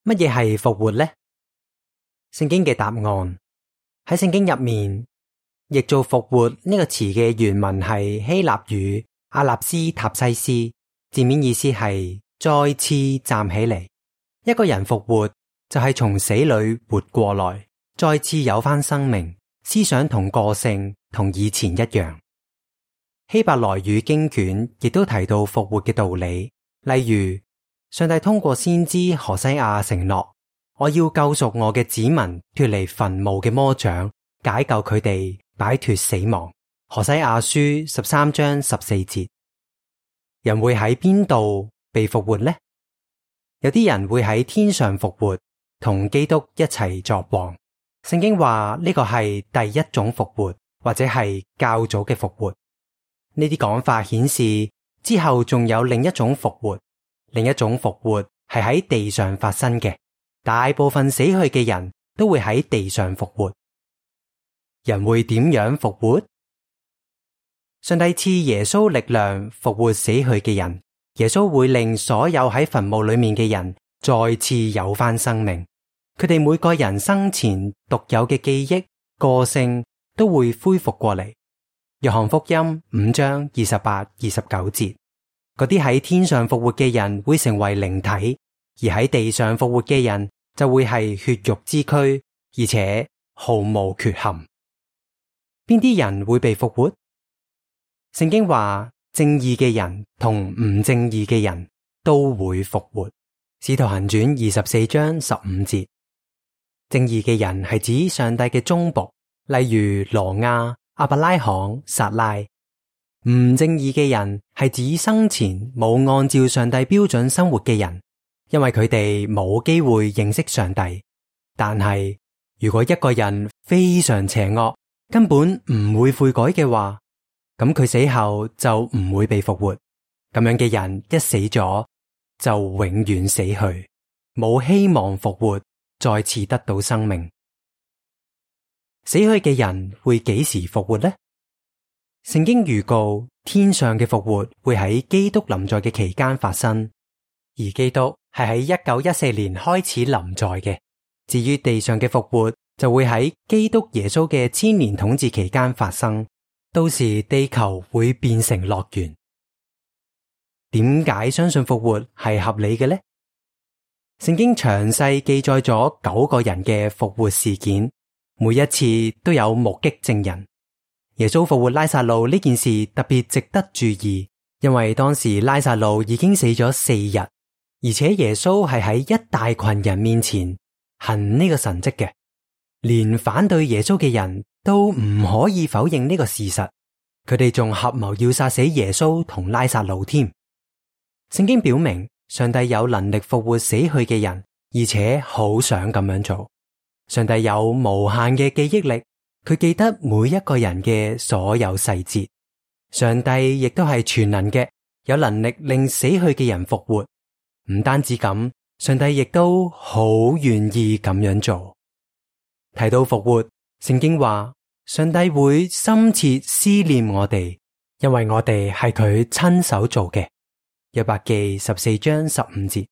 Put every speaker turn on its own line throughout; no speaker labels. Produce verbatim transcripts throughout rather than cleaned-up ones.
乜嘢係復活呢？聖經嘅答案喺聖經入面，譯做復活呢個詞嘅原文係希臘語阿納斯塔西斯，字面意思係再次站起嚟。一個人復活就係從死裏活過來，再次有返生命，思想同個性同以前一樣。希伯來語經卷亦都提到復活嘅道理，例如上帝通過先知何西阿承諾，我要救贖我嘅子民脫離墳墓嘅魔掌，解救佢哋擺脫死亡。何西阿書十三章十四節。人會喺邊度被復活呢？有啲人會喺天上復活，同基督一齊作王。聖經話呢個係第一種復活，或者係較早嘅復活。呢啲講法顯示之後仲有另一種復活，另一種復活係喺地上發生嘅。大部分死去嘅人都會喺地上復活。人會點樣復活？上帝賜耶穌力量復活死去嘅人，耶穌會令所有喺墳墓裏面嘅人再次有返生命。佢哋每個人生前獨有嘅記憶、個性都會恢復過嚟。約翰福音五章二十八、二十九節，嗰啲喺天上復活嘅人會成為靈體，而喺地上復活嘅人就會係血肉之軀，而且毫無缺陷。邊啲人會被復活？聖經話正義嘅人同唔正義嘅人都會復活。使徒行傳二十四章十五節，正義嘅人係指上帝嘅忠僕，例如羅亞、亞伯拉罕、撒拉。唔正義嘅人係指生前冇按照上帝標準生活嘅人，因為佢哋冇機會認識上帝。但係如果一個人非常邪惡，根本唔會悔改嘅話，咁佢死後就唔會被復活。咁樣嘅人一死咗就永遠死去，冇希望復活，再次得到生命。死去嘅人會幾時復活呢？聖經預告天上嘅復活會喺基督臨在嘅期間發生，而基督係喺一九一四年開始臨在嘅。至於地上嘅復活，就會喺基督耶穌嘅千年統治期間發生，到時地球會變成樂園。點解相信復活係合理嘅呢？聖經詳細記載咗九個人嘅復活事件，每一次都有目擊證人。耶穌復活拉撒路呢件事特別值得注意，因為當時拉撒路已經死咗四日，而且耶穌係喺一大群人面前行呢個神蹟嘅，連反對耶穌嘅人都唔可以否認呢個事實，佢哋仲合謀要殺死耶穌同拉撒路添。聖經表明上帝有能力復活死去嘅人，而且好想咁樣做。上帝有無限嘅記憶力，佢記得每一個人嘅所有細節。上帝亦都係全能嘅，有能力令死去嘅人復活。唔單止咁，上帝亦都好願意咁樣做。提到復活，聖經話上帝會深切思念我哋，因為我哋係佢親手做嘅。約伯記十四章十五節。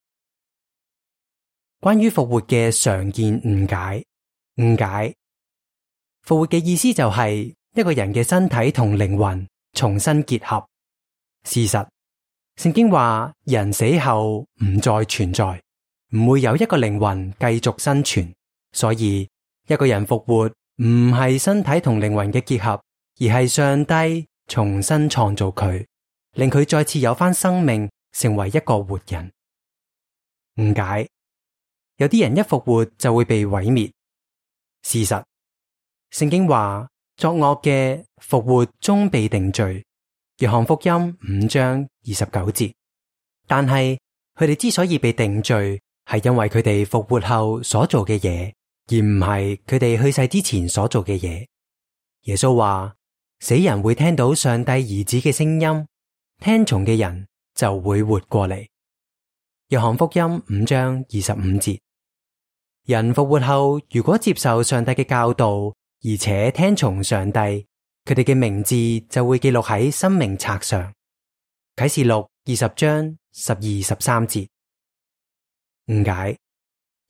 關於復活嘅常見誤解，誤解復活嘅意思就係一個人嘅身體同靈魂重新結合。事實，聖經話人死後唔再存在，唔會有一個靈魂繼續生存，所以一個人復活唔係身體同靈魂嘅結合，而係上帝重新創造佢，令佢再次有返生命，成為一個活人。誤解，有啲人一復活就會被毀滅。事實，聖經話作惡嘅復活終被定罪，約翰福音五章二十九節。但係佢哋之所以被定罪，係因為佢哋復活後所做嘅嘢，而唔係佢哋去世之前所做嘅嘢。耶穌話死人會聽到上帝兒子嘅聲音，聽從嘅人就會活過嚟。約翰福音五章二十五節。人復活後，如果接受上帝嘅教導，而且聽從上帝，佢哋嘅名字就會記錄喺生命冊上。啟示錄二十章十二、十三節。誤解，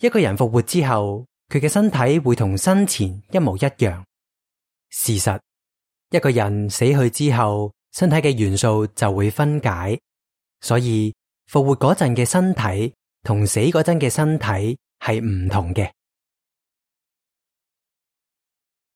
一個人復活之後，佢嘅身體會同生前一模一樣。事實，一個人死去之後，身體嘅元素就會分解，所以復活嗰陣嘅身體同死嗰陣嘅身體係唔同嘅。